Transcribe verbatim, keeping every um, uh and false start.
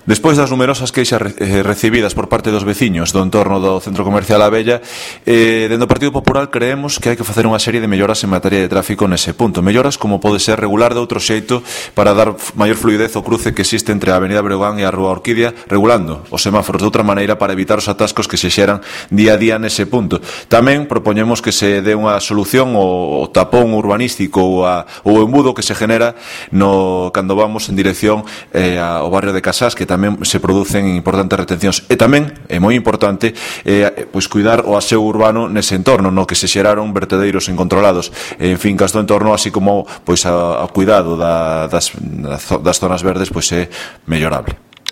Despois das numerosas queixas re, eh, recibidas por parte dos veciños do entorno do Centro Comercial A Bella, eh, dentro do Partido Popular creemos que hai que facer unha serie de melloras en materia de tráfico nese punto. Melloras como pode ser regular de outro xeito para dar maior fluidez ao cruce que existe entre a Avenida Breogán e a Rúa Orquídea, regulando os semáforos de outra maneira para evitar os atascos que se xeran día a día nese punto. Tamén propoñemos que se dé unha solución ao tapón urbanístico ou a, o embudo que se genera no, cando vamos en dirección eh, ao barrio de Casás, que tamén se producen importantes retencións. E tamén, é moi importante, eh, pois cuidar o aseo urbano nese entorno, no que se xeraron vertedeiros incontrolados en fincas do entorno, así como pois a, a cuidado da, das, das zonas verdes pois é mellorable.